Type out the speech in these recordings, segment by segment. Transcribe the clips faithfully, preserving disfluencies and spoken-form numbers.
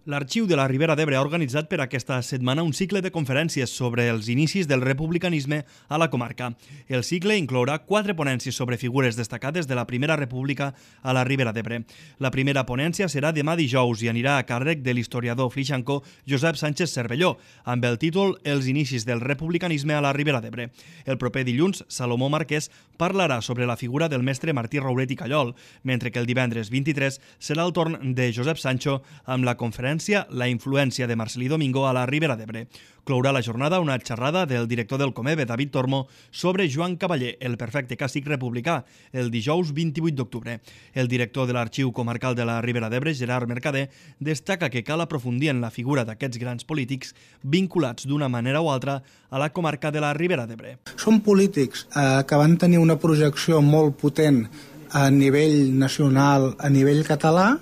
L'Arxiu de la Ribera d'Ebre ha organitzat per aquesta setmana un cicle de conferències sobre els inicis del republicanisme a la comarca. El cicle inclourà quatre ponències sobre figures destacades de la Primera República a la Ribera d'Ebre. La primera ponència serà demà dijous i anirà a càrrec de l'historiador flixancó Josep Sánchez Cervelló, amb el títol Els inicis del republicanisme a la Ribera d'Ebre. El proper dilluns, Salomó Marquès parlarà sobre la figura del mestre Martí Rauret i Callol, mentre que el divendres vint-i-tres serà el torn de Josep Sancho amb la conferència La influència de Marcelí Domingo a la Ribera d'Ebre. Clourà la jornada una xerrada del director del Comebe, David Tormo, sobre Joan Cavaller, el perfecte càstig republicà, el dijous vint-i-vuit d'octubre. El director de l'Arxiu Comarcal de la Ribera d'Ebre, Gerard Mercader, destaca que cal aprofundir en la figura d'aquests grans polítics vinculats d'una manera o altra a la comarca de la Ribera d'Ebre. Són polítics eh, que van tenir una projecció molt potent a nivell nacional, a nivell català,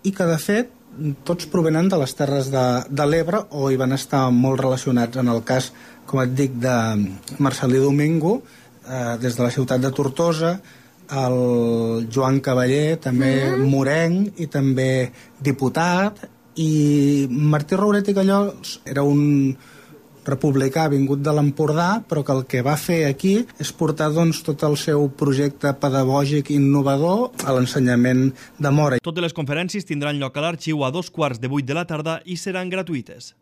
i que, de fet, tots provenen de les Terres de, de l'Ebre o hi van estar molt relacionats. En el cas, com et dic, de Marcelí Domingo, eh, des de la ciutat de Tortosa, el Joan Cavaller, també mm. morenc i també diputat, i Martí Rauret i Callol era un republicà vingut de l'Empordà, però que el que va fer aquí és portar doncs, tot el seu projecte pedagògic innovador a l'ensenyament de Mora. Totes les conferències tindran lloc a l'Arxiu a dos quarts de vuit de la tarda i seran gratuïtes.